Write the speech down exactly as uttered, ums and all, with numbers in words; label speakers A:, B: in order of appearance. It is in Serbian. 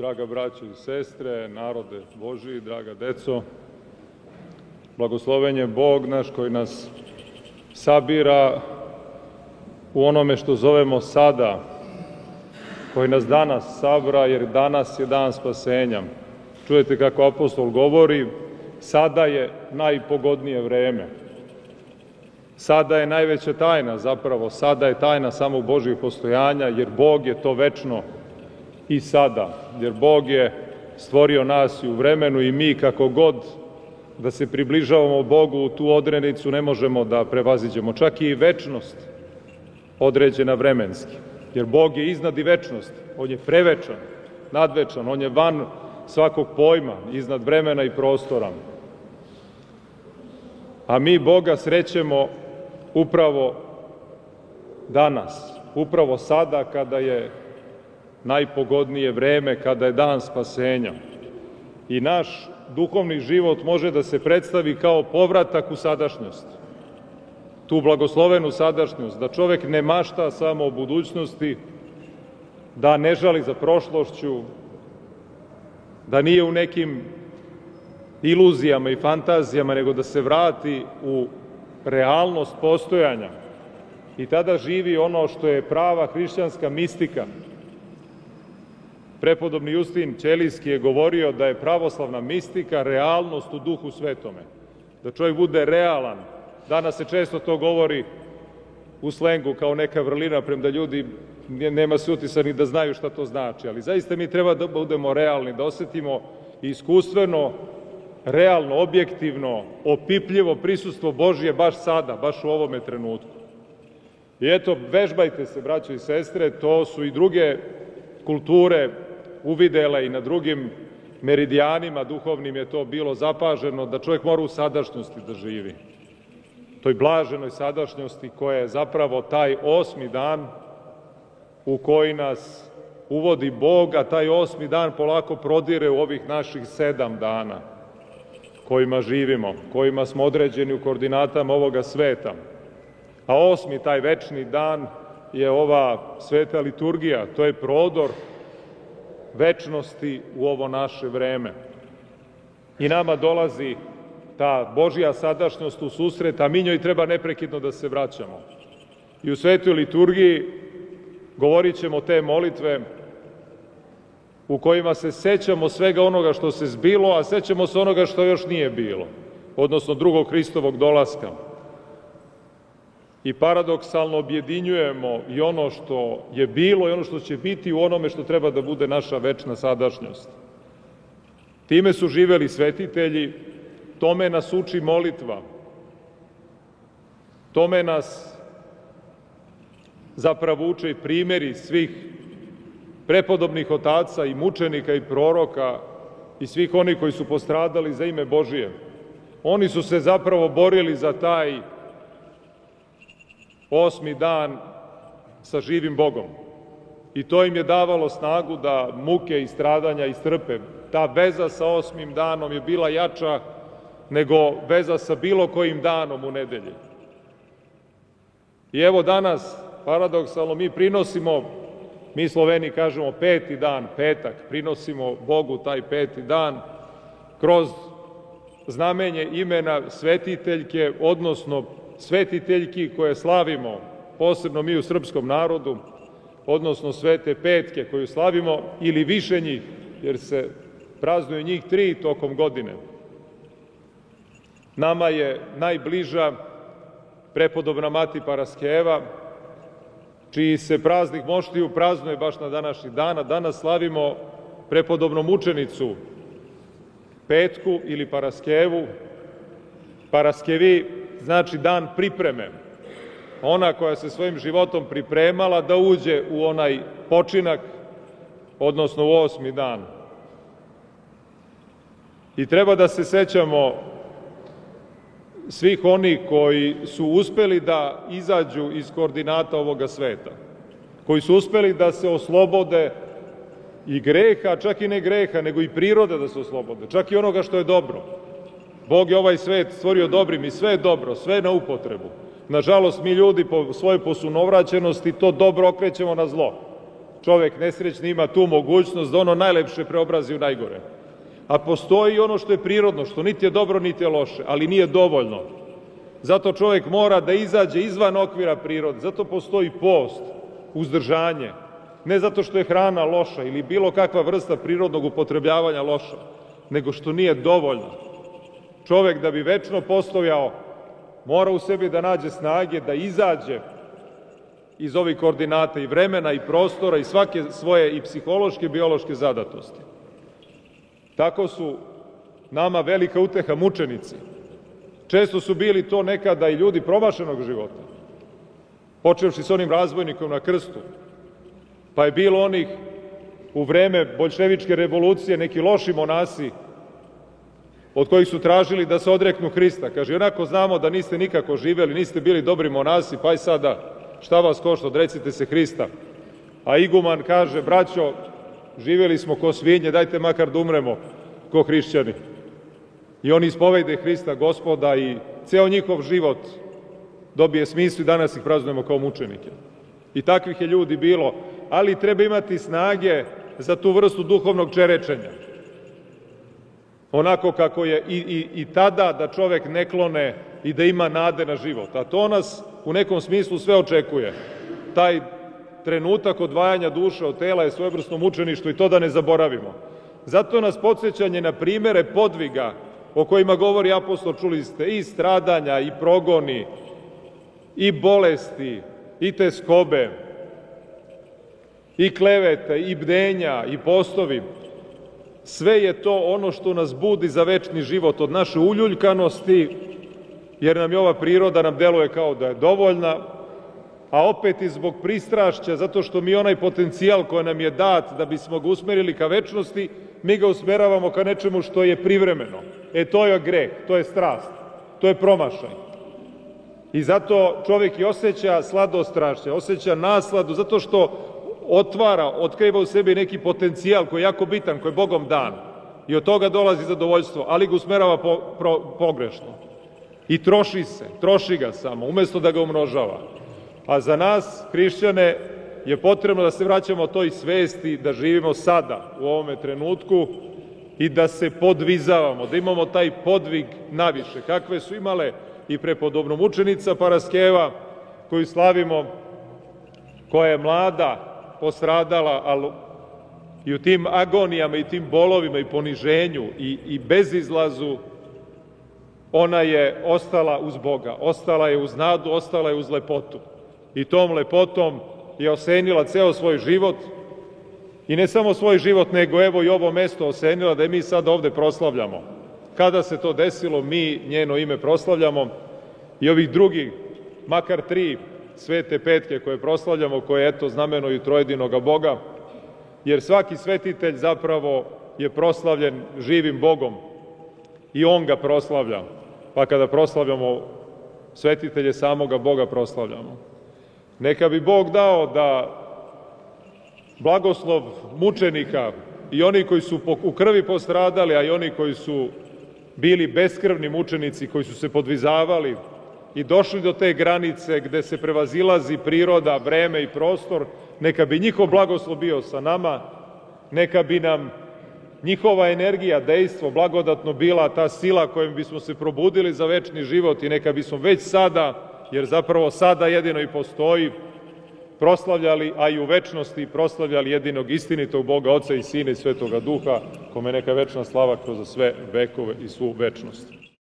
A: Draga braćo i sestre, narode Božiji, draga deco, blagosloven je Bog naš koji nas sabira u onome što zovemo sada, koji nas danas sabra, jer danas je dan spasenja. Čujete kako apostol govori, sada je najpogodnije vreme. Sada je najveća tajna, zapravo, sada je tajna samo Božjih postojanja, jer Bog je to večno i sada, jer Bog je stvorio nas i u vremenu i mi kako god da se približavamo Bogu u tu odrednicu ne možemo da prevaziđemo, čak i večnost određena vremenski, jer Bog je iznad i večnosti, On je prevečan, nadvečan, On je van svakog pojma, iznad vremena i prostora. A mi Boga srećemo upravo danas, upravo sada kada je najpogodnije vreme, kada je dan spasenja. I naš duhovni život može da se predstavi kao povratak u sadašnjost, tu blagoslovenu sadašnjost, da čovek ne mašta samo o budućnosti, da ne žali za prošlošću, da nije u nekim iluzijama i fantazijama, nego da se vrati u realnost postojanja i tada živi ono što je prava hrišćanska mistika. Prepodobni Justin Ćelijski je govorio da je pravoslavna mistika realnost u Duhu Svetome, da čovjek bude realan. Danas se često to govori u slengu kao neka vrlina, premda ljudi nema se utisak ni da znaju šta to znači, ali zaista mi treba da budemo realni, da osetimo iskustveno, realno, objektivno, opipljivo prisustvo Božje baš sada, baš u ovome trenutku. I eto, vežbajte se, braćo i sestre, to su i druge kulture uvidele i na drugim meridijanima duhovnim je to bilo zapaženo, da čovjek mora u sadašnjosti da živi. Toj blaženoj sadašnjosti koja je zapravo taj osmi dan u koji nas uvodi Bog, a taj osmi dan polako prodire u ovih naših sedam dana kojima živimo, kojima smo određeni u koordinatama ovoga sveta. A osmi, taj večni dan, je ova sveta liturgija, to je prodor večnosti u ovo naše vreme. I nama dolazi ta Božja sadašnjost u susret, a mi njoj treba neprekidno da se vraćamo. I u svetoj liturgiji govorit ćemo te molitve u kojima se sećamo svega onoga što se zbilo, a sećamo se onoga što još nije bilo, odnosno drugog Hristovog dolaska. I paradoksalno objedinjujemo i ono što je bilo i ono što će biti u onome što treba da bude naša večna sadašnjost. Time su živeli svetitelji, tome nas uči molitva, tome nas zapravo uče i primjeri svih prepodobnih otaca i mučenika i proroka i svih onih koji su postradali za ime Božije. Oni su se zapravo borili za taj osmi dan sa živim Bogom. I to im je davalo snagu da muke i stradanja istrpe. Ta veza sa osmim danom je bila jača nego veza sa bilo kojim danom u nedelji. I evo danas, paradoksalno, mi prinosimo, mi Sloveni kažemo peti dan, petak, prinosimo Bogu taj peti dan kroz znamenje imena svetiteljke, odnosno svetiteljki koje slavimo, posebno mi u srpskom narodu, odnosno svete petke koju slavimo, ili više njih, jer se praznuju njih tri tokom godine. Nama je najbliža prepodobna mati Paraskeva, čiji se praznik Moštiju praznuje baš na današnji dan, a danas slavimo prepodobnu mučenicu Petku ili Paraskevu. Paraskevi znači dan pripreme. Ona koja se svojim životom pripremala da uđe u onaj počinak, odnosno u osmi dan. I treba da se sećamo svih onih koji su uspeli da izađu iz koordinata ovoga sveta, koji su uspeli da se oslobode i greha, čak i ne greha, nego i prirode da se oslobode, čak i onoga što je dobro. Bog je ovaj svet stvorio dobrim i sve je dobro, sve je na upotrebu. Nažalost, mi ljudi po svojoj posunovraćenosti to dobro okrećemo na zlo. čovek nesrećni ima tu mogućnost da ono najlepše preobrazi u najgore. A postoji ono što je prirodno, što niti je dobro, niti je loše, ali nije dovoljno. Zato čovek mora da izađe izvan okvira prirode. Zato postoji post, uzdržanje. Ne zato što je hrana loša ili bilo kakva vrsta prirodnog upotrebljavanja loša, nego što nije dovoljno. Čovek da bi večno postojao, mora u sebi da nađe snage, da izađe iz ovih koordinata i vremena i prostora i svake svoje i psihološke i biološke zadatosti. Tako su nama velika uteha mučenici. Često su bili to nekada i ljudi promašenog života, počevši s onim razbojnikom na krstu, pa je bilo onih u vreme boljševičke revolucije, neki loši monasi od kojih su tražili da se odreknu Hrista. Kaže, onako znamo da niste nikako živeli, niste bili dobri monasi, pa i sada šta vas košta, odrecite se Hrista. A iguman kaže, braćo, živeli smo ko svinje, dajte makar da umremo ko hrišćani. I oni ispovede Hrista Gospoda i ceo njihov život dobije smislu i danas ih praznujemo kao mučenike. I takvih je ljudi bilo, ali treba imati snage za tu vrstu duhovnog čerečenja. Onako kako je i, i, i tada da čovek ne klone i da ima nade na život. A to nas u nekom smislu sve očekuje. Taj trenutak odvajanja duše od tela je svojevrsno mučeništvo i to da ne zaboravimo. Zato nas podsjećanje na primere podviga o kojima govori apostol, čuli ste, i stradanja, i progoni, i bolesti, i teskobe, i klevete, i bdenja, i postovi. Sve je to ono što nas budi za večni život od naše uljuljkanosti, jer nam je ova priroda nam deluje kao da je dovoljna, a opet i zbog pristrašća, zato što mi onaj potencijal koji nam je dat da bismo ga usmerili ka večnosti, mi ga usmeravamo ka nečemu što je privremeno. E, to je greh, to je strast, to je promašaj. I zato čovek i osjeća sladostrašće, osjeća nasladu, zato što otvara, otkriva u sebi neki potencijal koji je jako bitan, koji je Bogom dan. I od toga dolazi zadovoljstvo, ali ga usmerava po, pro, pogrešno. I troši se, troši ga samo, umesto da ga umnožava. A za nas, hrišćane, je potrebno da se vraćamo toj svesti, da živimo sada, u ovome trenutku, i da se podvizavamo, da imamo taj podvig naviše, kakve su imale i prepodobno mučenica Paraskeva, koju slavimo, koja je mlada, postradala, ali i u tim agonijama i tim bolovima i poniženju i, i bezizlazu, ona je ostala uz Boga, ostala je uz nadu, ostala je uz lepotu. I tom lepotom je osenila ceo svoj život i ne samo svoj život, nego evo i ovo mesto osenila da je mi sad ovde proslavljamo. Kada se to desilo, mi njeno ime proslavljamo i ovih drugih, makar tri svete petke koje proslavljamo, koje eto znamenuju trojedinoga Boga, jer svaki svetitelj zapravo je proslavljen živim Bogom i on ga proslavlja. Pa kada proslavljamo svetitelje, samoga Boga proslavljamo. Neka bi Bog dao da blagoslov mučenika i oni koji su u krvi postradali, a i oni koji su bili beskrvni mučenici, koji su se podvizavali i došli do te granice gde se prevazilazi priroda, vreme i prostor, neka bi njihov blagoslov bio sa nama, neka bi nam njihova energija, dejstvo, blagodatno bila ta sila kojom bismo se probudili za večni život i neka bismo već sada, jer zapravo sada jedino i postoji, proslavljali, a i u večnosti proslavljali jedinog istinitog Boga, Oca i Sina i Svetoga Duha, kome neka večna slava kroz sve vekove i svu večnost.